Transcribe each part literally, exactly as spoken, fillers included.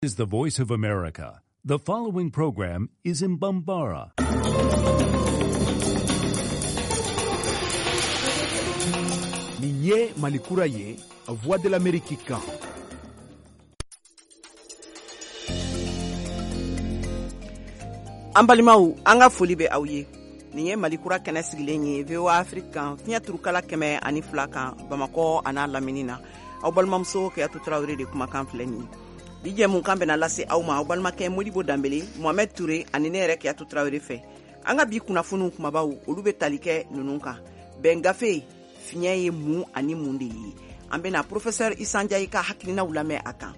Is the Voice of America. The following program is in Bambara. Nin ye Malikura ye, Voix de l'Amérique kan. An balimaw, an ka foli bɛ aw ye. Nin ye Malikura kɛnɛ sigilen ye V O A Afrique kan, fiɲɛ turukala kɛmɛ ani fila kan Bamakɔ a n'a lamini na. Aw balimamuso Keyatu Tarawele de kumakan filɛ nin ye. Bi jɛmukan bɛna lase aw ma aw balimakɛ Modibo Danbele, Mohamed Touré ani ne yɛrɛ Keyatu Tarawele fɛ. An ka bi kunnafoniw kumabaw, olu bɛ tali kɛ ninnu kan. Bɛn gafe fiɲɛ ye mun ani mun de ye? An bɛna professeur Issa Ndiaye ka hakilinaw lamɛn a kan.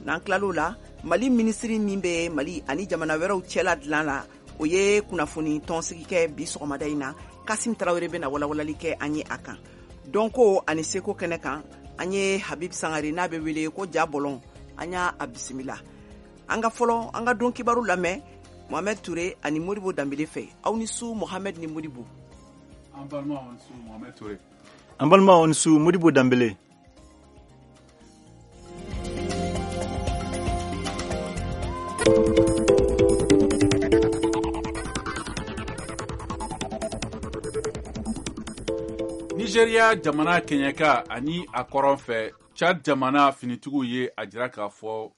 N'an tilal'o la, Mali minisiri min bɛ Mali ani jamana wɛrɛw cɛla dilan la, o ye kunnafoni tɔnsigi kɛ bi sɔgɔmada in na. Kasim Tarawele bɛna walawalali kɛ an ye a kan. Dɔnko ani seko kɛnɛ kan, an ye Habib Sangare n'a bɛ wele ko Ja Bɔlɔn, an y'a a bisimila. An ka fɔlɔ an ka don kibaru lamɛn Mohamed Touré ani Modibo Danbele fɛ. Aw ni su Mohamed ni Modibo. An balimaw ni su Mohamed Touré. An balimaw ni su Modibo Danbele. Nigeria jamana kɛɲɛka ani a kɔrɔn fɛ, Chad jamana finitigiw ye a jira k'a fɔ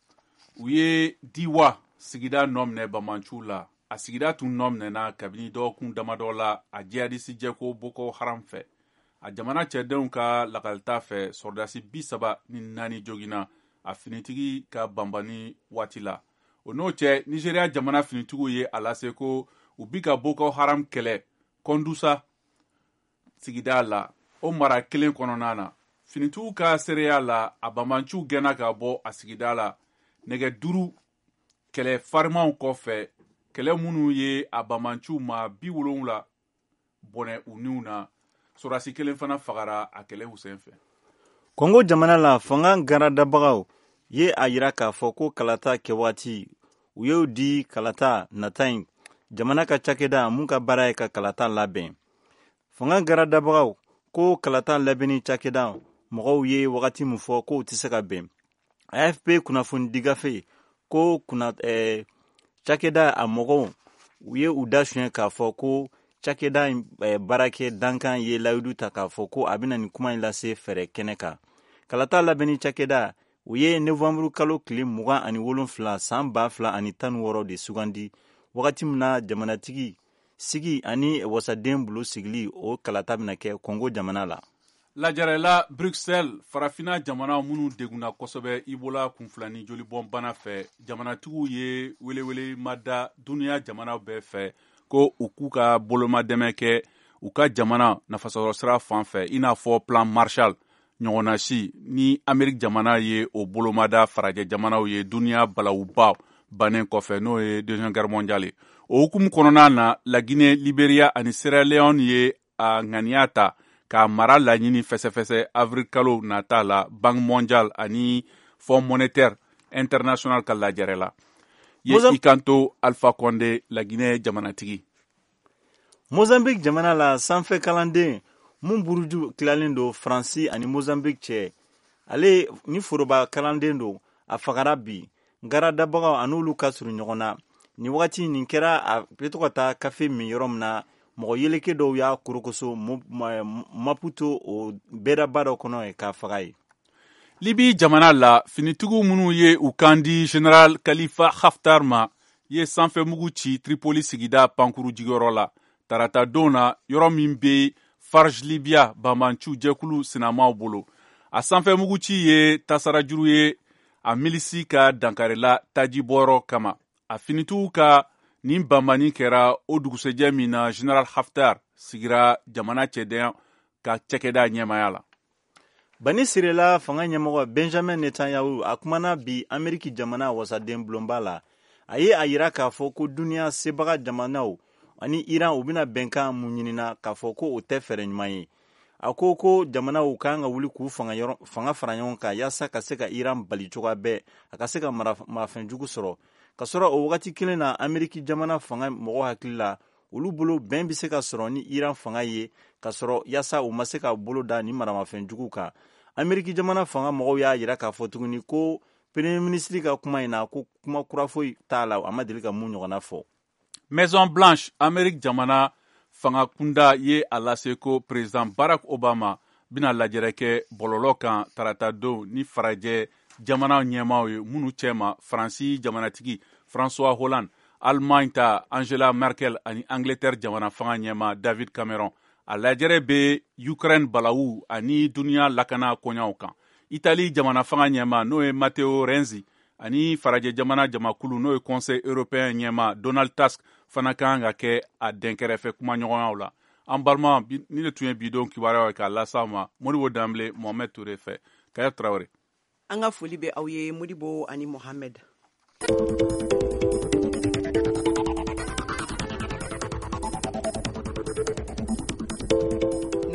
u ye Diwa sigida nɔ minɛ bamanciw la. A sigida tun nɔ minɛna kabini dɔgɔkun damadɔ la a jihadisi jɛko Boko Haram fɛ. A jamana cɛdenw ka lakalita fɛ, sɔrɔdasi bi saba ni naani joginna a finitigi ka banbani waati la. O n'o cɛ, Nigeria jamana finitigiw ye a lase ko u bi ka Boko Haram kɛlɛ Kɔndusa sigida la, o mara kelen kɔnɔna na. Finitigiw ka seereya la, a banbanciw gɛnna ka bɔ a sigida la nɛgɛ duuru kɛlɛ farimanw kɔfɛ, kɛlɛ minnu ye a banbanciw ma bi wolonwula bɔnɛ u niw na. Sɔrɔdasi kelen fana fagara a kɛlɛw senfɛ. Kongo jamana la, fanga garadabagaw ye a yira k'a fɔ ko kalata kɛwaati u y'o di kalata nata in jamana ka cakɛda mun ka baara ye ka kalata labɛn. Fanga garadabagaw ko kalata labɛnni cakɛda mɔgɔw ye wagati min fɔ k'o tɛ se ka bɛn. A F P kunnafoni gafe ko kunna, eh, cakɛda a mɔgɔw u ye u da suɲɛ k'a fɔ ko cakɛda in eh, baarakɛ dankan ye layidu ta k'a fɔ ko a bɛna nin kuma in lase fɛɛrɛ kɛnɛ kan. Kalata labɛnni cakɛda u ye novembre kalo tile mugan ani wolonfila san ba fila ani tan ni wɔɔrɔ de sugandi, wagati min na jamanatigi sigi ani wasaden bolo sigili o kalata bɛna kɛ Kongo jamana la. Lajɛrɛla Bruxelles, farafinna jamana minnu degunna kosɛbɛ Ebola kunfilani jolibɔnbana fɛ, jamanatigiw ye welewele ma da duniya jamana bɛɛ fɛ ko u k'u ka bolomadɛmɛ kɛ u ka jamana nafasɔrɔsira fan fɛ, i n'a fɔ plan Marshall ɲɔgɔnna si ni Amerique jamana ye o bolomada farajɛ jamanaw ye duniya balawuba bannen kɔfɛ, n'o ye Deuxième Guerre mondiale ye. O hukumu kɔnɔna na, La Guinée, Liberia ani Sierra Leone ye a ŋaniya ta ka mara laɲini fɛsɛfɛsɛ avril kalo nata la Banque mondiale ani Fonds monétaire international ka lajɛrɛ la. Ye i kanto Alpha Condé, La Guinée jamanatigi. Mozambique jamana la, sanfɛ kalanden mun buruju tilalen don Faransi ani Mozambique cɛ, ale ni foroba kalanden don, a fagara bi. Garadabagaw a n'olu ka surun ɲɔgɔn na. Nin wagati nin kɛra a bɛ to ka taa kafe min yɔrɔ min na, mɔgɔ yeleke dɔw y'a korokoso Maputo o bɛɛdaba dɔ kɔnɔ k'a faga ye. Libi jamana la, finitigiw minnu ye u kan di Général Khalifa Haftar ma ye sanfɛmugu ci Tripoli sigida pankuru jigiyɔrɔ la tarata don na, yɔrɔ min bɛ Farj Libya banbanciw jɛkulu sinamaw bolo. A sanfɛmugu ci ye tasarajuru ye a milisi ka dankarila tajibɔyɔrɔ kama. A finitigiw ka nin banbani kɛra o dugusɛjɛ min na Général Haftar sigira jamana cɛdenya ka cɛkɛda ɲɛmaya la. Bani Sirela fanga ɲɛmɔgɔ Benjamin Netanyahu a kumana bi Ameriki jamana wasaden bulonba la. A ye a yira k'a fɔ ko duniya sebaga jamanaw ani Iran u bɛna bɛnkan mun ɲinina k'a fɔ ko o tɛ fɛɛrɛ ɲuman ye. A ko ko jamanaw kan ka wuli k'u fanga yɔrɔ, fanga fara ɲɔgɔn kan yaasa ka se ka Iran bali cogoya bɛɛ a ka se ka marafɛnjugu sɔrɔ. Ka sɔrɔ o wagati kelen na, Ameriki jamana fanga mɔgɔ hakili la, olu bolo bɛn bɛ se ka sɔrɔ ni Iran fanga ye ka sɔrɔ yaasa u ma se ka bolo da ni maramafɛnjugu kan. Ameriki jamana fanga mɔgɔw y'a yira k'a fɔ tuguni ko Premier ministre ka kuma in na, ko kuma kura foyi t'a la, a ma deli ka mun ɲɔgɔnna fɔ. Maison Blanche, Amérique jamana fanga kunda ye a lase ko président Barack Obama bɛna lajɛrɛ kɛ bɔlɔlɔ kan tarata don ni farajɛ jamana ɲɛmaaw ye, minnu cɛma Faransi jamanatigi François Hollande, Allemagne ta Angela Merkel ani Angleterre jamana fanga ɲɛmaa David Cameron. A lajɛrɛ bɛ Ukraine balawu ani duniya lakana koɲaw kan. Italie jamana fanga ɲɛmaa n'o ye Matteo Renzi ani farajɛ jamana jamakulu n'o ye Conseil européen ɲɛmaa Donald Tusk fana kan ka kɛ a dɛnkɛrɛfɛ kumaɲɔgɔnyaw la. An balima, ni de tun ye bidon kibaruyaw ye k'a las'aw ma Modibo Danbele, Mohamed Touré fɛ. Kaya Traoré. An ka foli bɛ aw ye Modibo ani Mohamed.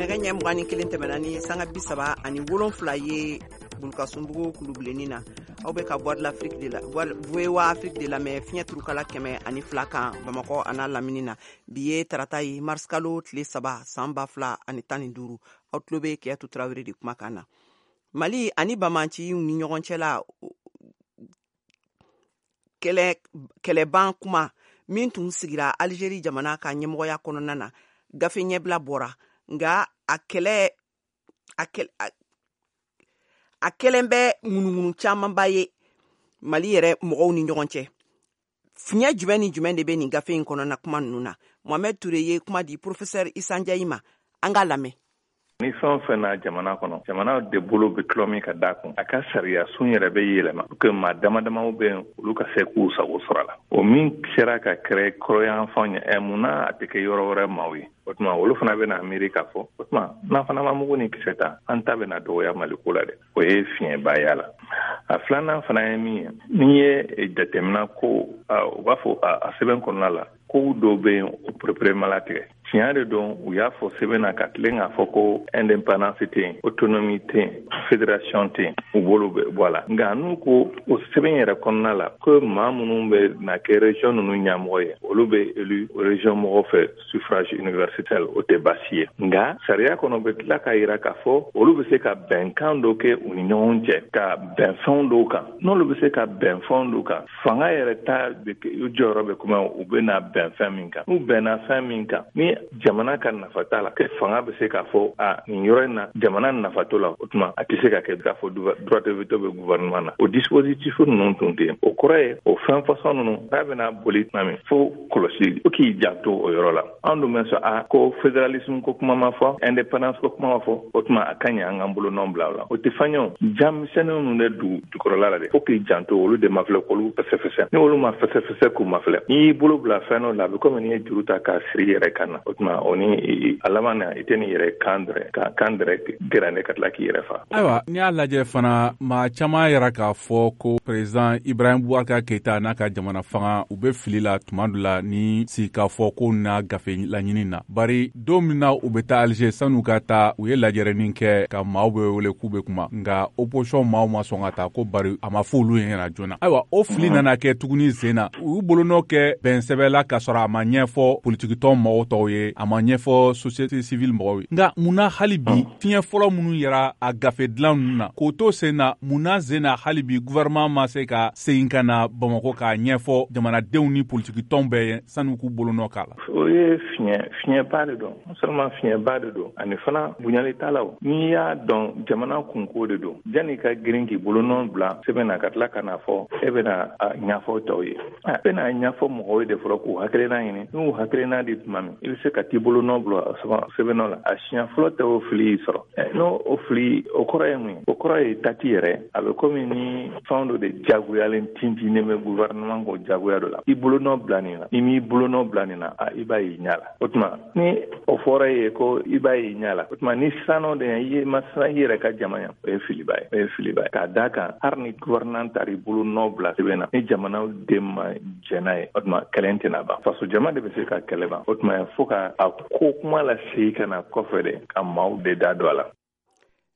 Nɛgɛ ɲɛ mugan ni kelen tɛmɛna ni sanga bi saba ani wolonfila ye Bulukasunbugu kulubilenni na. Aw bɛ ka Voix de l'Afrique de la V O A Afrique de lamɛn fiɲɛ turukala kɛmɛ ani fila kan Bamakɔ a n'a lamini na. Bi ye tarata ye, mars kalo tile saba san ba fila ani tan ni duuru. Aw tulo bɛ Kiyatu Tarawele de kumakan na. Mali ani Bamanciw ni ɲɔgɔn cɛ la kɛlɛ kɛlɛban kuma min tun sigira Algérie jamana ka ɲɛmɔgɔya kɔnɔna na, gafe ɲɛbila bɔra, nka a kɛlɛ a kɛlɛ a kɛlen bɛ ŋunuŋunu camanba ye Mali yɛrɛ mɔgɔw ni ɲɔgɔn cɛ. Fiɲɛ jumɛn ni jumɛn de bɛ nin gafe in kɔnɔna kuma ninnu na? Mohamed Touré ye kuma di professeur Issa Ndiaye ma, an k'a lamɛn. Ni fɛn o fɛn na jamana kɔnɔ, jamana de bolo bɛ tulɔ min ka d'a kun, a ka sariya sun yɛrɛ bɛ yɛlɛma pour que maa dama damaw bɛ yen, olu ka se k'u sago sɔrɔ a la. O min sera ka kɛrɛ kɔrɔyanfanw ye, ɛ mun na a tɛ kɛ yɔrɔ wɛrɛ maaw ye? O tuma olu fana bɛna miiri k'a fɔ o tuma n'an fana ma mugu ni kisɛ ta, an ta bɛna dɔgɔya Mali ko la dɛ. O ye fiɲɛba y'a la. A filanan fana ye min ye, n'i ye jateminɛ ko u b'a fɔ a sɛbɛn kɔnɔna la, kow dɔw bɛ yen o perepere latigɛ. Tiɲɛ de don, u y'a fɔ sɛbɛn na ka tilen k'a fɔ ko indépendance tɛ yen, autonomie tɛ yen, fédération tɛ yen, u bolo bɛ bɔ a la. Nka n'u ko o sɛbɛn yɛrɛ kɔnɔna la ko maa minnu bɛ na kɛ région ninnu ɲɛmɔgɔ ye, olu bɛ élu région mɔgɔw fɛ suffrage universel, o tɛ baasi ye. Nka sariya kɔnɔ bɛ tila k'a jira k'a fɔ olu bɛ se ka bɛnkan dɔ kɛ u ni ɲɔgɔn cɛ, ka bɛn fɛn dɔw kan. N'olu bɛ se ka bɛn fɛn dɔw kan, fanga yɛrɛ ta jɔyɔrɔ bɛ kuma u bɛ na bɛn fɛn min kan. N'u bɛnna fɛn min kan, ni jamana ka nafa t'a la, kɛ fanga bɛ se k'a fɔ a nin yɔrɔ in na jamana nafa t'o la, o tuma a tɛ se ka kɛ k'a fɔ droit de veto bɛ gouvernement na. O dispositif ninnu tun tɛ yen. O kɔrɔ ye o fɛn fasɔn ninnu n'a bɛna boli tuma min fo kɔlɔsi, fo k'i janto o yɔrɔ la. An dun bɛ sɔn a ko fédéralisme ko kuma ma fɔ, indépendance ko kuma ma fɔ, o tuma a ka ɲi an k'an bolonɔ bila o la. O tɛ fɛn ye o, jamisɛnnin ninnu de dugu jukɔrɔla la dɛ, fo k'i janto olu de ma filɛ k'olu fɛsɛfɛsɛ. Ni olu ma fɛsɛfɛsɛ k'u ma filɛ, n'i y'i bolo bila fɛn dɔ la, a bɛ komi n'i ye juru ta k'a siri i yɛrɛ kan na. O tuma o ni a laban na i tɛ n'i yɛrɛ kan dɛrɛ ka kan dɛrɛ gɛrɛnde ka tila k'i yɛrɛ fa. Ayiwa, n'i y'a lajɛ fana, maa caman yɛrɛ k'a fɔ ko président Ibrahim Boubacar Keïta n'a ka jamana fanga u bɛ fili la tuma dɔ la ni sigikafɔ ko n'a gafe laɲini na. Bari don min na u bɛ taa Alger, san'u ka taa u ye lajɛrɛnin kɛ ka maaw bɛ wele k'u bɛ kuma, nka opposition maaw ma sɔn ka taa ko bari a ma fɔ olu ɲɛna joona. Ayiwa, o fili nana kɛ tuguni sen na, u y'u bolonɔ kɛ bɛnsɛbɛ la k'a sɔrɔ a ma ɲɛfɔ politikitɔn mɔgɔw tɔw ye, a ma ɲɛfɔ société civile mɔgɔw ye. Nka mun na hali bi fiɲɛ fɔlɔ minnu yɛrɛ a gafe dilan ninnu na k'o to sen na, mun na sen na hali bi gouvernement ma se ka segin ka na Bamakɔ k'a ɲɛfɔ jamanadenw ni politikitɔn bɛɛ ye san'u k'u bolonɔ k'a la? O ye fiɲɛ fiɲɛba de don, non seulement fiɲɛba de don, ani fana bonyali t'a la. O n'i y'a dɔn jamana kunko de don, janni ka girin k'i bolonɔ bila sɛbɛn na ka tila ka n'a fɔ e bɛna a ɲɛfɔ tɔw ye, a bɛna ɲɛfɔ mɔgɔw ye de fɔlɔ k'u hakilina ɲini. N'u hakilina di tuma min, i bɛ se ka t'i bolonɔ bila sɛbɛn nɔ la. A siɲɛ fɔlɔ tɛ o fili y'i sɔrɔ. N'o o fili, o kɔrɔ ye mun ye? O kɔrɔ ye tati yɛrɛ a bɛ komi ni fɛn dɔ de jagoyalen tintinnen bɛ gouvernement kɔ jagoya dɔ la. I bolonɔ bila nin na, n'i m'i bolonɔ bila nin na, a i b'a y'i ɲɛ la. O tuma ni o fɔra e ye ko i b'a y'i ɲɛ la, o tuma ni siran de i ye ma siran i yɛrɛ ka jama ɲɛ, o ye filiba ye, o ye filiba ye. K'a d'a kan hali ni gouvernement taara i bolonɔ bila sɛbɛn na, ni jamanaw den ma jɛn n'a ye, o tuma kɛlɛ tɛna ban. Faso jama de bɛ se ka kɛlɛ ban. O tuma fo ka a ko kuma lasegin ka na kɔfɛ de, ka maaw de da don a la.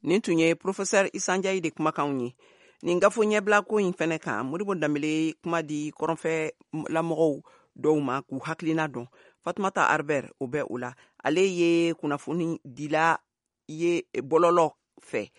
Nin tun ye professeur Issa Ndiaye de kumakanw ye. Nin gafo ɲɛbila ko in fɛnɛ kan, Modibo Danbele kuma di kɔrɔnfɛ lamɔgɔw dɔw ma k'u hakilina dɔn. Fatumata Arber o bɛ o la. Ale ye kunnafoni dila ye bɔlɔlɔ fɛ.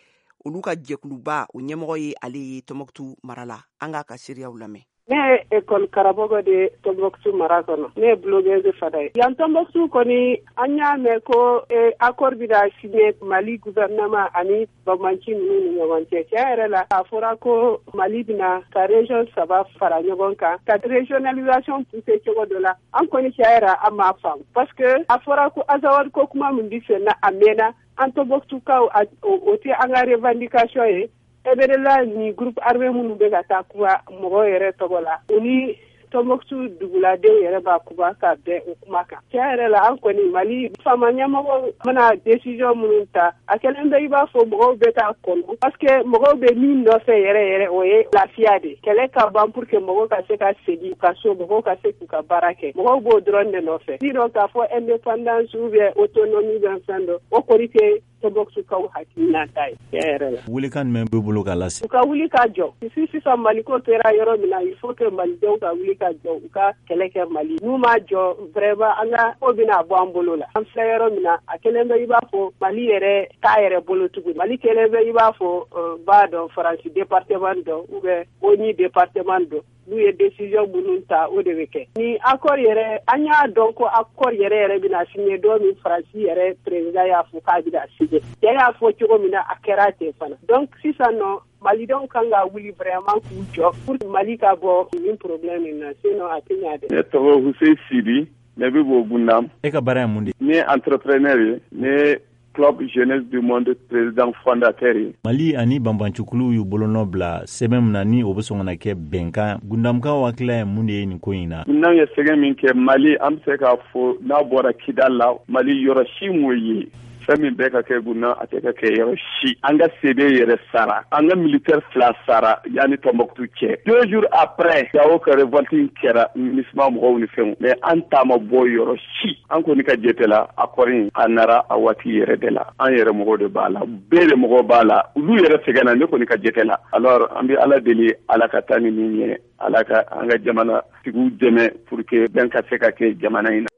Olu ka jɛkuluba o ɲɛmɔgɔ ye ale ye Tɔnbɔkutu mara la. An k'a ka seereyaw lamɛn. Ne ye école karamɔgɔ de ye Tɔnbɔkutu mara kɔnɔ. Ne ye blogueuse fana ye. Yan Tɔnbɔkutu kɔni, an y'a mɛn ko accord bɛna signer Mali gouvernement ani banbanci ninnu ni ɲɔgɔn cɛ. Tiɲɛ yɛrɛ la, a fɔra ko Mali bɛna ka région saba fara ɲɔgɔn kan ka régionalisation pousser cogo dɔ la. An kɔni tiɲɛ yɛrɛ, an m'a faamu parce que a fɔra ko Azawad ko kuma min bɛ sen na, a mɛnna. An Tɔnbɔkutukaw, o tɛ an ka revendication ye. M N L A ni groupe armé minnu bɛ ka taa kuma mɔgɔw yɛrɛ tɔgɔ la, u ni Tɔnbɔkutu duguladenw yɛrɛ b'a kuma ka bɛn o kuma kan. Tiɲɛ yɛrɛ la, an kɔni Mali faama ɲɛmɔgɔw mana décision minnu ta, a kɛlen bɛ i b'a fɔ mɔgɔw bɛ k'a kɔnɔ, parce que mɔgɔw bɛ min nɔfɛ yɛrɛ yɛrɛ, o ye lafiya de, kɛlɛ ka ban pour que mɔgɔw ka se ka segin u ka so, mɔgɔw ka se k'u ka baara kɛ. Mɔgɔw b'o dɔrɔn de nɔfɛ. Sinon k'a fɔ indépendance ou bien autonomie bɛ fɛn dɔ, o kɔni tɛ Tɔnbɔkutukaw hakilina ta ye tiɲɛ yɛrɛ la. Welekan jumɛn b'e bolo k'a lase? U ka wuli ka jɔ. Si sisan Maliko kɛra yɔrɔ min na, il faut que Malidenw ka wuli ka jɔ, u ka kɛlɛ kɛ Mali. N'u ma jɔ, vraiment, an ka ko bɛna bɔ an bolo la. An filɛ yɔrɔ min na, a kɛlen bɛ i b'a fɔ Mali yɛrɛ t'a yɛrɛ bolo tugun. Mali kɛlen bɛ i b'a fɔ b'a dɔn Faransi département dɔ ou bien O N U département dɔ. N'u ye décision minnu ta, o de bɛ kɛ. Ni accord yɛrɛ, an y'a dɔn ko accord yɛrɛ yɛrɛ bɛna signer don min, Faransi yɛrɛ président y'a fɔ k'a bɛna signer. Cɛ y'a fɔ cogo min na, a kɛra ten fana. Donc sisan nɔ, Malidenw kan ka wuli vraiment k'u jɔ pour Mali ka bɔ nin problème in na, sinon a tɛ ɲɛ dɛ. Ne tɔgɔ Hussein Sibi, ne bɛ bɔ Gundam. E ka baara ye mun de? Ne ye entrepreneur ye, ne Club Jeunesse du Monde président fondateur ye. Mali ani banbancikuluw y'u bolonɔ bila sɛbɛn min na, ni o bɛ sɔn ka na kɛ bɛnkan, Gundamkaw hakilila ye mun de ye nin ko in na? N'anw ye sɛgɛn min kɛ Mali, an bɛ se k'a fɔ n'a bɔra Kidal la, Mali yɔrɔ si m'o ye. Fɛn min bɛɛ ka kɛ Gundam, a tɛ ka kɛ yɔrɔ si. An ka C D yɛrɛ sara, an ka militaire fila sara yanni Tɔnbɔkutu cɛ. Deux jours après, Gawo ka révolte in kɛra, MINUSMA mɔgɔw ni fɛnw, mais an ta ma bɔ yɔrɔ si. An kɔni ka jate la, accord in a nara a waati yɛrɛ de la. An yɛrɛ mɔgɔw de b'a la, bɛɛ de mɔgɔw b'a la, olu yɛrɛ sɛgɛnna, ne kɔni ka jate la. Alors an bɛ Ala deli, Ala ka taa ni min ye, Ala ka an ka jamana tigiw dɛmɛ pour que bɛn ka se ka kɛ jamana in na.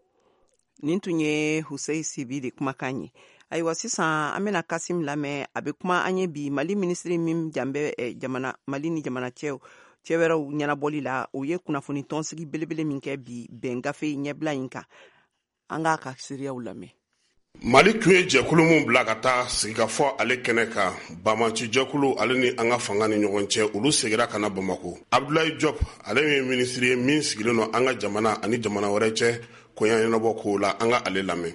Nin tun ye Hussein Sibi de kumakan ye. Ayiwa, sisan an bɛna Kasim lamɛn. A bɛ kuma an ye bi Mali minisiri min jan bɛ jamana Mali ni jamana cɛw cɛ wɛrɛw ɲɛnabɔli la, o ye kunnafoni tɔnsigi belebele min kɛ bi bɛn gafe ɲɛbila in kan. An k'a ka seereyaw lamɛn. Mali tun ye jɛkulu min bila ka taa sigikafɔ ale kɛnɛ kan, banbanci jɛkulu ale ni an ka fanga ni ɲɔgɔn cɛ, olu seginna ka na Bamako. Abdoulaye Diop, ale ye minisiri ye min sigilen don an ka jamana ani jamana wɛrɛ cɛ koɲa ɲɛnabɔ kow la, an ka ale lamɛn.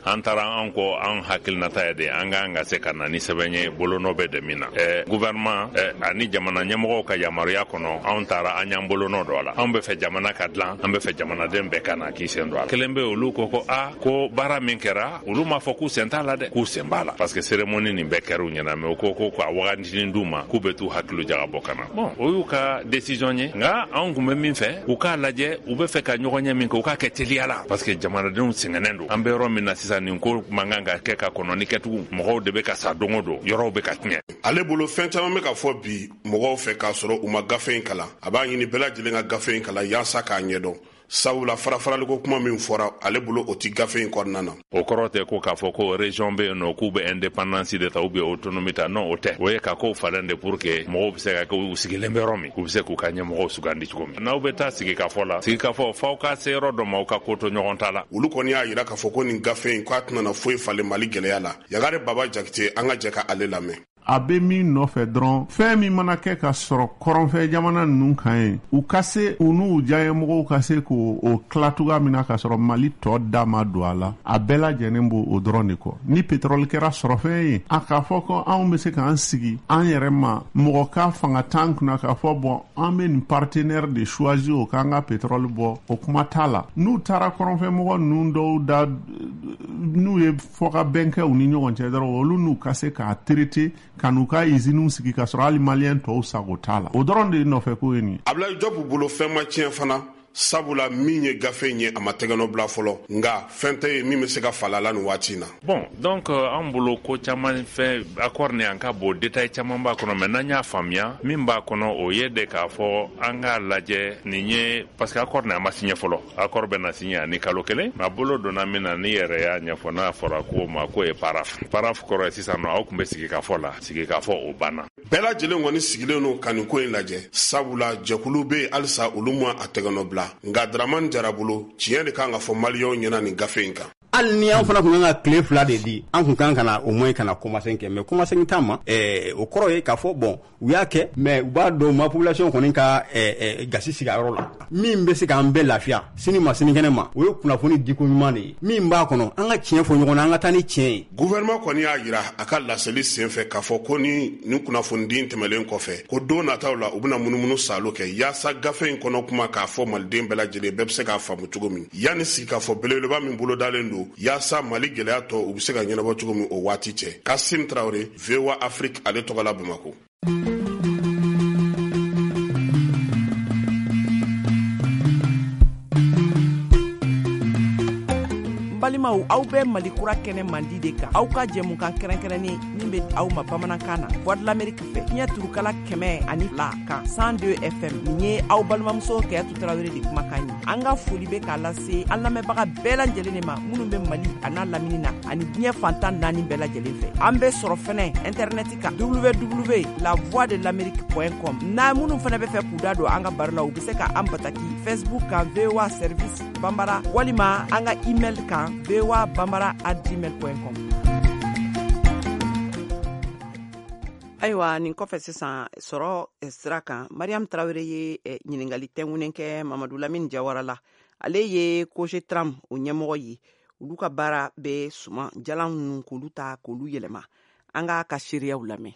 An taara, an ko an hakilinata ye de an k'an ka se ka na ni sɛbɛn ye bolonɔ bɛ de min na eh, gouvernement eh, ani jamana ɲɛmɔgɔw ka yamaruya kɔnɔ. Anw taara, an y'an bolonɔ don a la. Anw bɛ fɛ jamana ka dilan, an bɛ fɛ jamanaden bɛɛ ka na k'i sen don a la. Kelen bɛ, olu ko ko a ko baara min kɛra, olu m'a fɔ k'u sen t'a la dɛ, k'u sen b'a la, parce que cérémonie nin bɛɛ kɛra u ɲɛna, mais u ko ko ka wagatinin d'u ma k'u bɛ t'u hakili jagabɔ ka na. Bon, o y'u ka décision ye, nka anw kun bɛ min fɛ, u k'a lajɛ, u bɛ fɛ ka ɲɔgɔn ɲɛ min kɛ, u k'a kɛ teliya la, parce que jamanadenw sɛgɛnnen don. An bɛ yɔrɔ min na sisan, nin ko man kan ka kɛ ka kɔnɔni kɛ tugun. Mɔgɔw de bɛ ka sa don o don, yɔrɔw bɛ ka tiɲɛ. Ale bolo, fɛn caman bɛ ka fɔ bi mɔgɔw fɛ k'a sɔrɔ u ma gafe in kalan. A b'a ɲini bɛɛ lajɛlen ka gafe in kalan yaasa k'a ɲɛdɔn, sabula fara-faraliko kuma min fɔra, ale bolo, o ti gafe in kɔnɔna na. O kɔrɔ tɛ ko k'a fɔ ko région bɛ yen nɔ k'u bɛ indépendance de ta ou bien autonomie ta. Non, o tɛ. O ye ka kow falen de pour que mɔgɔw bɛ se ka kɛ u sigilen bɛ yɔrɔ min, u bɛ se k'u ka ɲɛmɔgɔw sugandi cogo min. N'aw bɛ taa sigikafɔ la, sigikafɔ f'aw ka se yɔrɔ dɔ ma, aw ka ko to ɲɔgɔn ta la. Olu kɔni y'a yira k'a fɔ ko nin gafe in, k'a tɛna foyi falen Mali gɛlɛya la. Yagare Baba Jakite, an ka jɛ ka ale lamɛn. A bɛ min nɔfɛ dɔrɔn, fɛn min mana kɛ ka sɔrɔ kɔrɔnfɛ jamana ninnu kan ye, u ka se u n'u diyanyemɔgɔw ka se k'o o tila cogoya min na ka sɔrɔ Mali tɔ da ma don a la, a bɛɛ lajɛlen b'o o dɔrɔn de kɔ. Ni pétrole kɛra sɔrɔfɛn ye, a k'a fɔ ko anw bɛ se k'an sigi an yɛrɛ ma, mɔgɔ ka fanga t'an kunna k'a fɔ bɔn, an bɛ nin partenaire de choisir o k'an ka pétrole bɔ, o kuma t'a la. N'u taara kɔrɔnfɛ mɔgɔ ninnu dɔw da, n'u ye fɔkabɛn kɛ u ni ɲɔgɔn cɛ dɔrɔn, olu n'u ka se k'a traiter ka n'u ka usines sigi ka sɔrɔ hali Maliyɛn tɔw sago t'a la, o dɔrɔn de ye nɔfɛ ko ye nin ye. Abdoulaye Diop bolo, fɛn ma tiɲɛ fana. Sabula min ye gafe in ye, a ma tɛgɛnɔ bila fɔlɔ, nka fɛn tɛ ye min bɛ se ka fala la nin waati in na. Bon, donc an bolo ko caman fɛn accord ni an ka bon détail caman b'a kɔnɔ, mais n'an y'a faamuya min b'a kɔnɔ, o ye de k'a fɔ an k'a lajɛ nin ye, parce que accord ni a ma signé fɔlɔ. Accord bɛ na signé ani kalo kelen. A bolo donna min na, ni yɛrɛ y'a ɲɛfɔ, n'a fɔra ko ma k'o ye paraphe. Paraphe kɔrɔ ye sisan nɔ aw tun bɛ sigi ka fɔ la, sigi ka fɔ o banna. Bɛɛ lajɛlen kɔni sigilen don ka nin ko in lajɛ, sabula jɛkulu bɛ yen halisa olu ma a tɛgɛnɔ bila. Nka Dramani Jara bolo, tiɲɛ de kan ka fɔ maliyɛnw ɲɛna nin gafe in kan. Hali ni an fana tun kan ka tile fila de di, an tun kan ka na au moins ka na kɔmasegin kɛ, mais kɔmasegin t'an ma. Ɛɛ o kɔrɔ ye k'a fɔ bon, u y'a kɛ, mais u b'a dɔn u ma population kɔni ka ɛɛ gasi sigi a yɔrɔ la. Min bɛ se k'an bɛɛ lafiya sini ma sinikɛnɛ ma, o ye kunnafoni diko ɲuman de ye. Min b'a kɔnɔ, an ka tiɲɛ fɔ ɲɔgɔn na, an ka taa ni tiɲɛ ye. Gouvernement kɔni y'a jira a ka laseli senfɛ k'a fɔ ko ni nin kunnafonidi tɛmɛlen kɔfɛ, ko don nataw la u bɛna munumunu salo kɛ yaasa gafe in kɔnɔ kuma k'a fɔ maliden bɛɛ lajɛlen bɛɛ bɛ se k'a faamu cogo min, yanni sigikafɔ belebeleba min bolodalen don yaasa Mali gɛlɛya tɔ u bɛ se ka ɲɛnabɔ cogo min o waati cɛ. Kasim Traoré, V O A Afrique, ale tɔgɔ la Bamakɔ. Balimaw, aw bɛ Mali kura kɛnɛ mandi de kan, aw ka jɛmukan kɛrɛnkɛrɛnnen min bɛ aw ma bamanankan na Voix de l'Amérique fɛ, fiɲɛ turukala kɛmɛ ani fila kan cent deux F M. Nin ye aw balimamuso Kayatu Tarawele de kumakan ye. An ka foli bɛ k'a lase an lamɛnbaga bɛɛ lajɛlen de ma minnu bɛ Mali a n'a lamini na ani diɲɛ fantan naani bɛɛ lajɛlen fɛ. An bɛ sɔrɔ fɛnɛ internet kan w w w la voix de l'amérique point com. N'a minnu fɛnɛ bɛ fɛ k'u da don an ka baro la, u bɛ se ka an bataki Facebook kan V O A Service Bambara, walima an ka email kan v o a bambara at gmail point com. Ayiwa, nin kɔfɛ sisan sɔrɔ sira kan, Mariam Traoré ye ɲininkali tɛnkunnen kɛ Mamadu Lamini Jawara la. Ale ye Cogetram o ɲɛmɔgɔ ye. Olu ka baara bɛ suman jalan ninnu k'olu ta k'olu yɛlɛma. An k'a ka seereyaw lamɛn.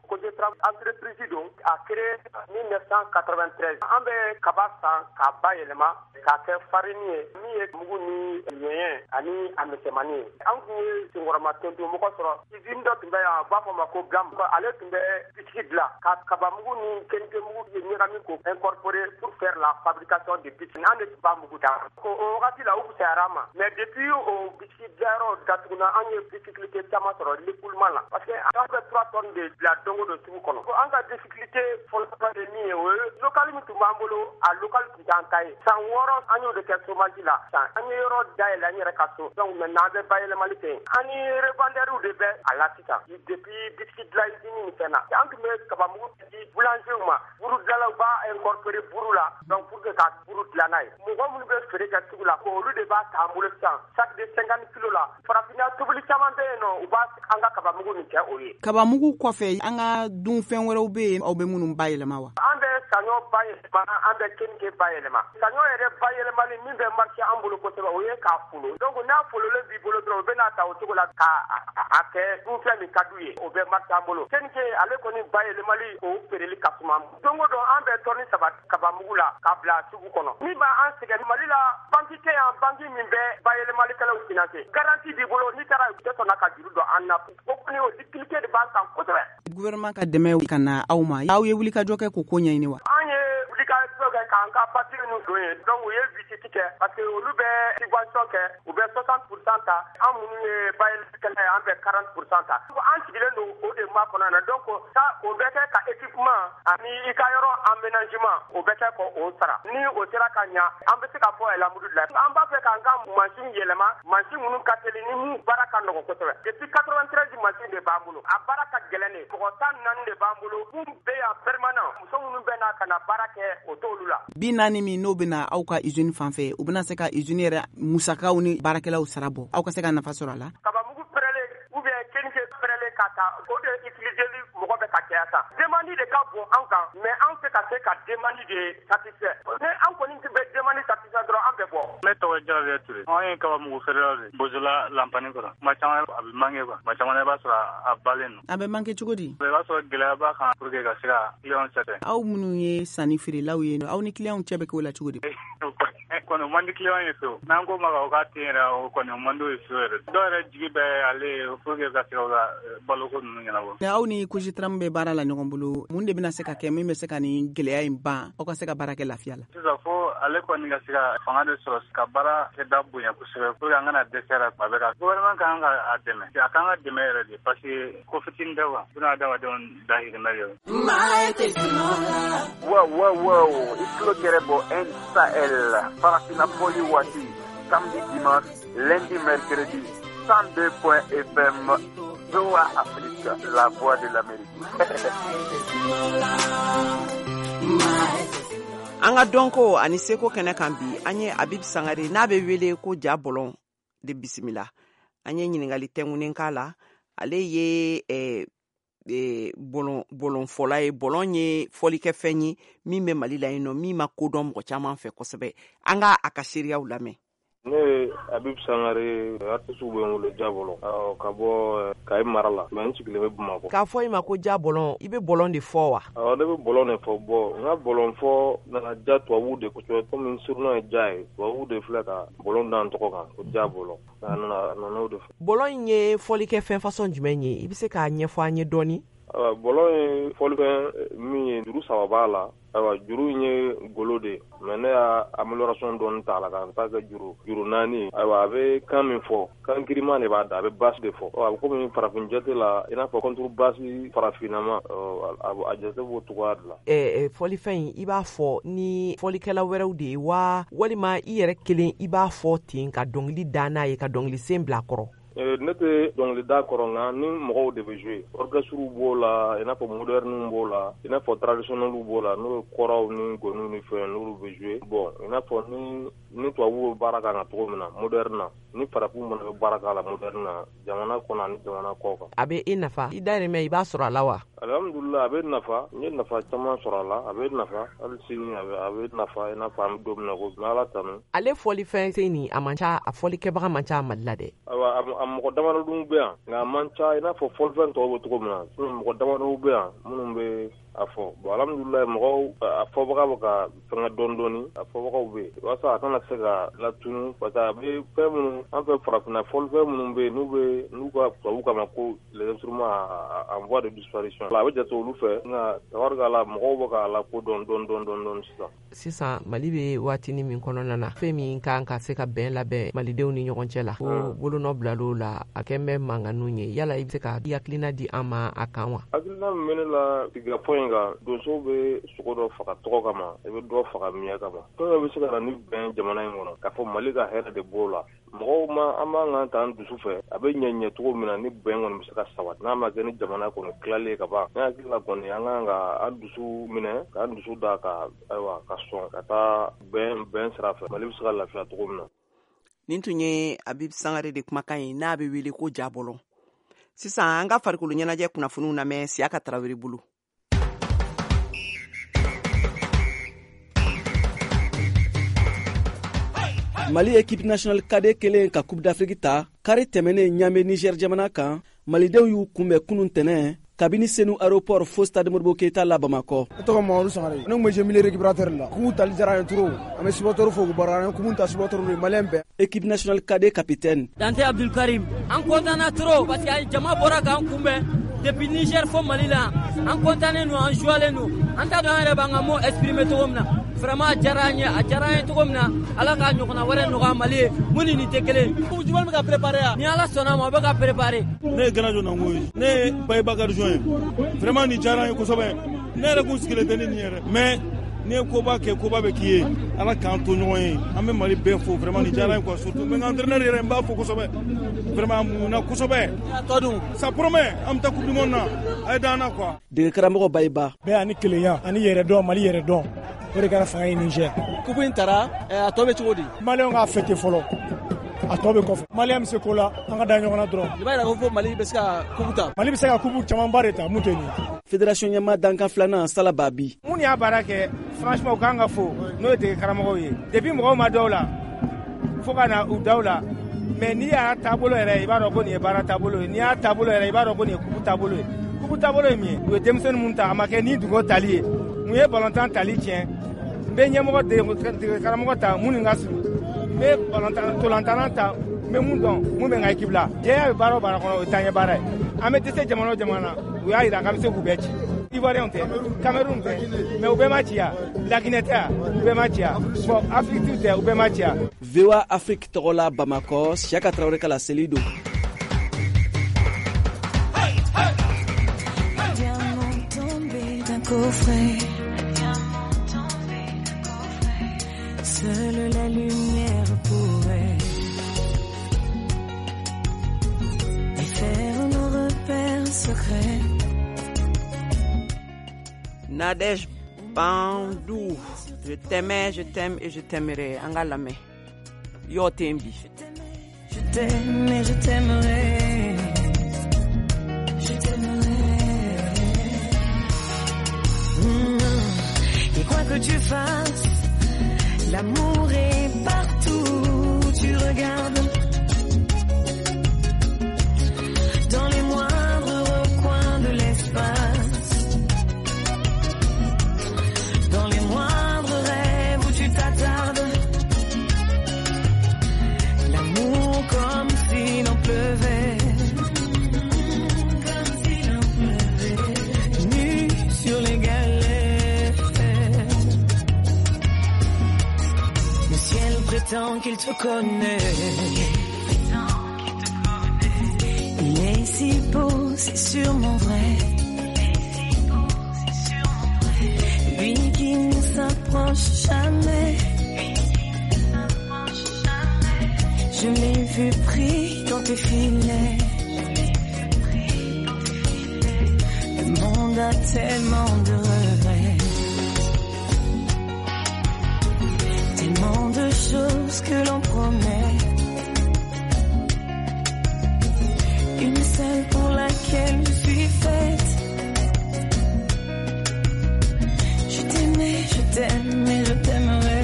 Cogetram entreprise don, a créé mille neuf cent quatre-vingt-treize. An bɛ kaba san k'a bayɛlɛma k'a kɛ farine ye, min ye mugu ni ɲɛɲɛ ani a misɛnmanin ye. An tun ye senkɔrɔma tonton mɔgɔ sɔrɔ usine dɔ tun bɛ yan, u b'a fɔ ma ko GAM. Ale tun bɛ biscuit dilan ka kabamugu ni keninkemugu ɲagami k'o incorporer pour faire la fabrication de biscuits. An de tun b'a mugu da. O wagati la u fisayara an ma, mais depuis o biscuit dilanyɔrɔ datuguna, an ye difficulté caman sɔrɔ l'écoulement la, parce que an bɛ trois tonnes de bila don o don sugu kɔnɔ. An ka difficulté fɔlɔ ye min ye, o ye local min tun b'an bolo, a local tun t'an ta ye. San wɔɔrɔ an y'o de kɛ chômage la. San an ye yɔrɔ dayɛlɛ an yɛrɛ ka so, donc maintenant an bɛ bayɛlɛmali kɛ yen. An ni revendeurw de bɛ a la sisan depuis biscuit dilan usine nin fɛn na. An tun bɛ kabamugu di boulangerw ma, buru dilanlaw b'a incorporer buru la, donc pour que ka buru dilan n'a ye. Mɔgɔ minnu bɛ feere kɛ sugu la, olu de b'a ta an bolo sisan sac de cinquante kilos la. Farafinna tobili caman bɛ yen nɔ, u b'a an ka kabamugu nin kɛ o ye. Kabamugu kɔfɛ, an ka dunfɛn wɛrɛw bɛ yen aw bɛ minnu bayɛlɛma wa? An bɛ saɲɔ bayɛlɛma, an bɛ keninke bayɛlɛma. Saɲɔ yɛrɛ bayɛlɛmali min bɛ marché an bolo kosɛbɛ, o ye k'a folo. Donc n'a fololen b'i bolo dɔrɔn, u bɛ n'a ta o cogo la k'a a kɛ dunfɛn min ka d'u ye, o bɛ marché an bolo. Keninke ale kɔni bayɛlɛmali, o feereli ka suma. Don o don an bɛ tɔni saba kabamugu la k'a bila sugu kɔnɔ. Min b'an sɛgɛn Mali la, banque tɛ yan, banque min bɛ bayɛlɛmalikɛlaw financer. Garantie b'i bolo, n'i taara u tɛ sɔn ka juru don an na. O kɔni o difficulté de b'an kan kosɛbɛ. Gouvernement ka dɛmɛ ka na aw ma, aw ye wulikajɔ kɛ k'o ko ɲɛɲini wa? An ye wulikajɔ kɛ k'an ka papier ninnu don yen, donc u ye visite kɛ parce que olu bɛ subvention kɛ, u bɛ soixante pour cent ta, an minnu ye bayɛlɛmalikɛla ye, an bɛ quarante pour cent ta. An sigilen don o de makɔnɔ na, donc ça o bɛ kɛ ka équipement ani i ka yɔrɔ aménagement, o bɛ kɛ k'o sara. Ni o sera ka ɲa, an bɛ se ka fɔ alhamdulilayi. An b'a fɛ k'an ka mansin yɛlɛma, mansin minnu ka teli ni mun baara ka nɔgɔn kosɛbɛ. Depuis quatre-vingt-treize mansin de b'an bolo, a baara ka gɛlɛn de. Mɔgɔ tan naani de b'an bolo, mun bɛ yan permanent, muso minnu bɛ na ka na baara kɛ, o t'olu la. Bi naani min n'o bɛna aw ka usine fan fɛ, u bɛna se ka usine yɛrɛ musakaw ni baarakɛlaw sara bɔ, aw ka se ka nafa sɔrɔ a la? Kabamugu pɛrɛlen ou bien keninke pɛrɛlen ka taa, o de utiliser mɔgɔ bɛ ka caya sa. Demande de ka bon an kan, mais an tɛ ka se ka demande de satisfaire. Ni an kɔni bɛ demande satisfaire dɔrɔn, an bɛ bɔ. Ne tɔgɔ ye Jarabi Ture. Anw ye kabamugu feerelaw de ye. Bozola lanpani kɔrɔ. Kuma caman a bɛ manqué quoi. Kuma caman i b'a sɔrɔ a balen don. A bɛ manqué cogo di? I b'a sɔrɔ gɛlɛya b'a kan pour que ka se ka client sɛgɛn. Aw minnu ye sanni feerelaw ye, aw ni client cɛ bɛ k'o la cogo di? kɔni o man di client ye fewu. N'an ko ma o k'a ten yɛrɛ, o kɔni o man d'o ye fewu yɛrɛ. Dɔw yɛrɛ jigi bɛ ale ye pour que ka se ka baloko ninnu ɲɛnabɔ. Aw ni Kojitram bɛ baara la ɲɔgɔn bolo, mun de bɛna se ka kɛ min bɛ se ka nin gɛlɛya in ban, aw ka se ka baara kɛ lafiya la? Sisan fo ale kɔni ka se ka fanga de sɔrɔ ka baara kɛda bonya kosɛbɛ pour que an kana dɛsɛ la tuma bɛɛ ka gouvernement kan ka a dɛmɛ, a kan ka dɛmɛ yɛrɛ de, parce que ko fitinin tɛ quoi, bunadamadenw dahirimɛ de. Wow wow wow, i tulo gɛrɛ bɔ N Sahel farafinna fɔli waati, samedi dimanche, lundi mercredi, cent deux point F M, V O A Afrique, la voix de l'Amérique. An ka dɔnko ani seko kɛnɛ kan bi, an ye Habib Sangare n'a bɛ wele ko Ja Bɔlɔn de bisimila. An ye ɲininkali tɛnkunnen k'a la. Ale ye eh, eh, bɔlɔn bɔlɔnfɔla ye. Bɔlɔn ye fɔlikɛfɛn ye min bɛ Mali la yen nɔ, min ma kodɔn mɔgɔ caman fɛ kosɛbɛ. An ka a ka seereyaw lamɛn. Ne ye Habib Sangare, artiste bɛ n wele Ja Bɔlɔn, ka bɔ Kayi mara la, mais n sigilen bɛ Bamakɔ. K'a fɔ i ma ko Ja Bɔlɔn, i bɛ bɔlɔn de fɔ wa? Awɔ, ne bɛ bɔlɔn de fɔ. Bɔ n ka bɔlɔn fɔ nana ja tubabuw de kosɛbɛ, komi n surnom ye ja ye, tubabuw de filɛ ka bɔlɔn da n tɔgɔ kan ko Ja Bɔlɔn. A nana a nana o de fɛ. Bɔlɔn in ye fɔlikɛfɛn fasɔn jumɛn ye? I bɛ se k'a ɲɛfɔ an ye dɔɔni? Ayiwa, bɔlɔn ye fɔlifɛn min ye, juru saba b'a la. Ayiwa, juru in ye golo de ye, mais ne y'a amélioration dɔɔni t'a la ka n ta kɛ juru juru naani. Ayiwa, a bɛ kan min fɔ, kan giriman de b'a da, a bɛ basse de fɔ. A bɛ komi farafin jate la, i n'a fɔ contrebasse farafinnama, a jate b'o cogoya de la. Ɛɛ fɔlifɛn in, i b'a fɔ ni fɔlikɛla wɛrɛw de ye wa, walima i yɛrɛ kelen i b'a fɔ ten ka dɔnkili da n'a ye, ka dɔnkili sen bila a kɔrɔ? Ne tɛ dɔnkili da kɔrɔ, nka ni mɔgɔw de bɛ jouer. Orchestre b'o la, i n'a fɔ moderne b'o la, i n'a fɔ traditionnel b'o la, n'o ye kɔrɔw ni gɔniw ni fɛn, n'olu bɛ jouer. Bon, i n'a fɔ ni ni tubabuw bɛ baara k'a kan cogo min na moderne na, ni farafinw fana bɛ baara k'a la moderne na, jamana kɔnɔ ani jamana kɔ kan. A bɛ e nafa, i dahirimɛ i b'a sɔrɔ a la wa? Alhamdulillah, a bɛ nafa, n ye nafa caman sɔrɔ a la, a bɛ nafa hali sini, a bɛ a bɛ nafa, i n'a fɔ an bɛ don min na ko bi, Ala tanu. Ale fɔlifɛn sen nin, a man ca, a fɔlikɛbaga man ca Mali la dɛ. Ayiwa, a mɔgɔ damadɔ bɛ yan, nka a man ca i n'a fɔ fɔlifɛn tɔw bɛ cogo min na. Sinon mɔgɔ damadɔ bɛ yan minnu bɛ a fɔ. Bon, alhamdulillah, mɔgɔw a fɔbaga bɛ ka fɛngɛ dɔɔni dɔɔni, a fɔbagaw bɛ yen, walasa a kana se ka latunu, parce que a bɛ fɛn minnu an fɛ farafinna, fɔlifɛn minnu bɛ yen n'u bɛ n'u ka tubabu kama ko les instruments en voie de disparition, a bɛ jate olu fɛ, nka tabarikala mɔgɔw bɛ k'a la ko dɔn dɔɔni dɔɔni dɔɔni sisan. Sisan Mali bɛ waatinin min kɔnɔna na, fɛn min kan ka se ka bɛn labɛn malidenw ni ɲɔgɔn cɛ la, ko bolonɔ bilal'o la, a kɛn bɛ mankanninw ye. Yala i bɛ se ka hakilina di an ma a kan wa? Hakilina min bɛ ne la sigikafɔ in kan, donsow bɛ sogo dɔ faga tɔgɔ kama, i bɛ dɔ faga miɲɛ kama. Fɛn dɔ bɛ se ka na ni bɛn jamana in kɔnɔ, k'a fɔ Mali ka hɛrɛ de b'o la. Mɔgɔw ma an b'an kan t'an dusu fɛ, a bɛ ɲɛ ɲɛ cogo min na ni bɛn kɔni bɛ se ka sabati, n'a ma kɛ ni jamana kɔni tilalen ka ban. Ne hakili la kɔni, an kan ka an dusu minɛ, k'an dusu da ka ayiwa ka sɔn ka taa bɛn bɛn sira fɛ, Mali bɛ se ka lafiya cogo min na. Nin tun ye Habib Sangare de kumakan ye n'a bɛ wele ko Ja Bɔlɔn. Sisan an ka farikolo ɲɛnajɛ kunnafoniw lamɛn Siyaka Tarawele bolo. Mali équipe nationale cadet kelen ka Coupe d'Afrique ta kari tɛmɛnen Ɲame Niger jamana kan, malidenw y'u kunbɛn kunun tɛnɛ kabini Senu aéroport fo stade Modibo Keita la Bamakɔ. Ne tɔgɔ Mamadu Sangare, ne tun bɛ jouer milieu récupérateur la. Coupe tali diyara an ye trop, an bɛ supporter fo k'u barika, an ye coupe ta supporter ye, malien bɛɛ. Équipe nationale cadet capitaine Dante Abdul Karim, an content na trop parce que jama bɔra k'an kunbɛn depuis Niger fo Mali la, an content don, an joilen don, an t'a dɔn an yɛrɛ b'an ka mot exprimer cogo min na. Vraiment a diyara an ye, a diyara an ye cogo min na, Ala k'a ɲɔgɔnna wɛrɛ nɔgɔya Mali ye, mun ni nin tɛ kelen. Coupe du monde bɛ ka préparer wa? Ni Ala sɔnna a ma, o bɛ ka préparer. Ne ye Ganajo Nango ye, ne ye Bayiba Garijon ye. Vraiment nin diyara an ye kosɛbɛ. Ne yɛrɛ kun sigilen tɛ ni nin yɛrɛ, mais n'i ye koba kɛ, koba bɛ k'i ye. Ala k'an to ɲɔgɔn ye, an bɛ Mali bɛɛ fo, vraiment nin diyara an ye quoi. Surtout n bɛ n ka entraîneur yɛrɛ, n b'a fo kosɛbɛ. Vraiment a muɲuna kosɛbɛ. A tɔ dun? Ça promet, an bɛ taa coupe du monde na, a ye d'an na quoi. Dege karamɔgɔ Bayiba. Bɛɛ ani kelenya ani yɛrɛdɔn, Mali yɛrɛdɔn, o de kɛra fanga ye Niger. Coupe in taara, a tɔ bɛ cogo di? Maliyɛnw k'a fêter fɔlɔ, a tɔ bɛ kɔfɛ. Maliyɛn bɛ se ko la, an ka da ɲɔgɔn na dɔrɔn. I b'a yira ko fo Mali bɛ se ka coupe ta. Mali bɛ se ka coupe camanba de ta, mun tɛ nin ye. Fédération ɲɛmaa dankan filanan Sala Babi. Mun y'a baara kɛ, franchement u kan ka fo, n'o ye dege karamɔgɔw ye. Depuis mɔgɔw ma dɔw la, fo ka na u daw la. Mais n'i y'a taabolo yɛrɛ, i b'a dɔn ko nin ye baara taabolo ye. N'i y'a taabolo yɛrɛ, i b'a dɔn ko nin ye coupe taabolo ye. Coupe taabolo ye min ye, u ye denmisɛnnin mun ta, a ma kɛ ni dugu tali ye. Mun ye balontan tali tiɲɛ, N bɛ ɲɛmɔgɔ dege karamɔgɔ ta mun ni ka surun. N bɛ balontan ta n bɛ mun dɔn mun bɛ n ka équipe la. Jɛya bɛ baara o baara kɔnɔ o ye taaɲɛ baara ye. An bɛ dɛsɛ jamana o jamana na u y'a jira k'an bɛ se k'u bɛɛ ci. Ivoirien tɛ, Cameroun tɛ, mais u bɛɛ ma ci yan. La Guinée tɛ yan, u bɛɛ ma ci yan. Bon, Afrique tɛ, u bɛɛ ma ci yan. V O A Afrique tɔgɔ la Bamakɔ, Siaka Traoré ka laseli don. Coffret. Seule la lumière pourrait faire nos repères secrets. Nadège Bandou, je t'aimais, je t'aime et je t'aimerai. An ka lamɛn. Yo tembi. Je t'aime et je t'aimerai. Je t'aimerai. Mmh. Et quoi que tu fasses, l'amour est partout où tu regardes. Dans les moindres recoins de l'espace, dans les moindres rêves où tu t'attardes, l'amour comme s'il en pleuvait, comme s'il en pleuvait, nu sur les galets. Le ciel prétend qu'il te connaît. Il est si beau, c'est sûrement vrai. Lui qui ne s'approche jamais. Je l'ai vu pris dans tes filets. Le monde a tellement de regrets, tellement de choses que l'on promet. Une seule pour laquelle je suis faite. Je t'aimais, je t'aime et je t'aimerai.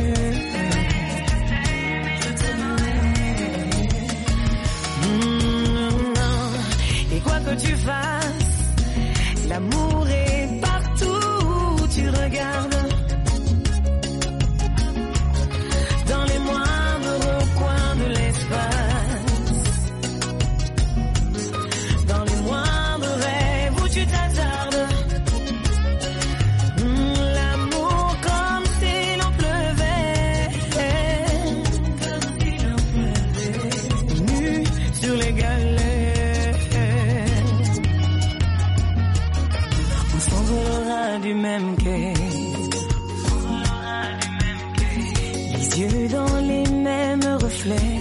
Je t'aimerai. Mmh, non. Et quoi que tu fasses, l'amour est partout où tu regardes. Dans les moindres recoins de l'espace, dans les moindres rêves où tu t'attardes, mmh, l'amour comme s'il en pleuvait, comme s'il en pleuvait, nu sur les galets. On s'envolera du même quai, les yeux dans les mêmes reflets.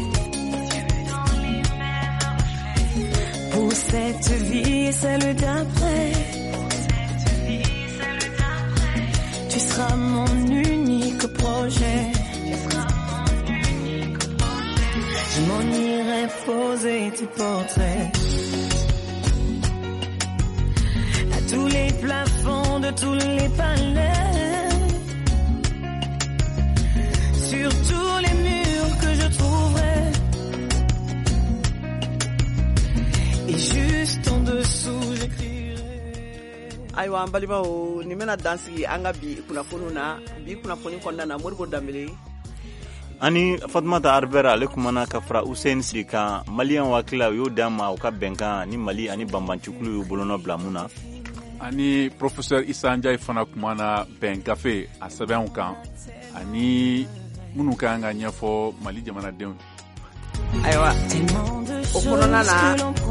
Pour cette vie et celle d'après, tu seras mon unique projet. Je m'en irai poser tes portraits à tous les plafonds de tous les palais, sur tous les murs que je trouverai. Et juste en dessous, j'écrirai. Ayiwa an balimaw, nin bɛna dan sigi an ka bi kunnafoniw na. Bi kunnafoni kɔnɔna na, Modibo Danbele ani Fatumata Arbera ale kumana ka fara Hussein Siri kan. Maliyɛn hakilila u y'o d'an ma u ka bɛnkan ni Mali ani banbancikulu y'u bolonɔ bila mun na. Ani professeur Issa Ndiaye fana kumana bɛn gafe a sɛbɛnw kan ani minnu ka kan ka ɲɛfɔ Mali jamanadenw. Ayiwa, o kɔnɔna na,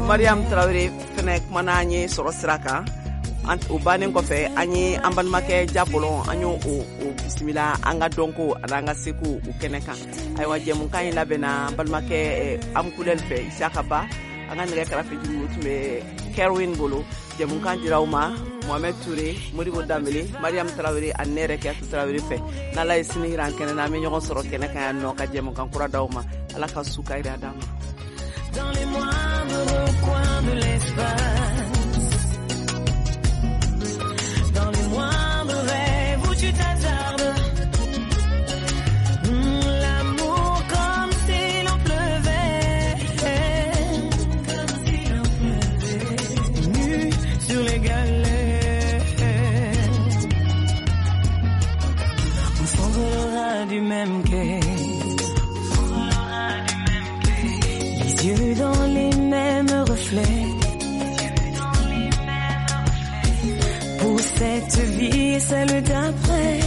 Mariam Traoré fɛnɛ kumana an ye sɔrɔ sira kan. O bannen kɔfɛ, an ye an balimakɛ Jabolɔn, an y'o o bisimila an ka dɔnko ani an ka seko o kɛnɛ kan. Ayiwa, jɛmukan in labɛnna an balimakɛ Amukulɛli fɛ, Isaka Ba. An ka nɛgɛ kɛrɛfɛ jugu tun bɛ Kerwin bolo. Jɛmukan dira aw ma Mohamed Touré, Modibo Danbele, Mariam Traoré ani ne yɛrɛ Kiyatu Traoré fɛ. N'Ala ye sini jira an kɛnɛ na, an bɛ ɲɔgɔn sɔrɔ kɛnɛ kan yan nɔ ka jɛmukan kura d'aw ma. Ala ka su ka jira d'an ma. Dans les moindres recoins de l'espace, dans les moindres rêves où tu t'attardes, mmh, l'amour comme s'il en pleuvait, comme s'il en pleuvait, nu sur les galets. On s'envolera ras du même quai. Les yeux dans les mêmes reflets. Pour cette vie et celle d'après,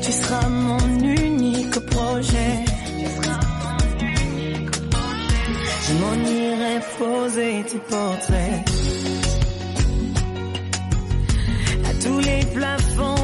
tu seras mon unique projet. Je m'en irai poser tes portraits à tous les plafonds.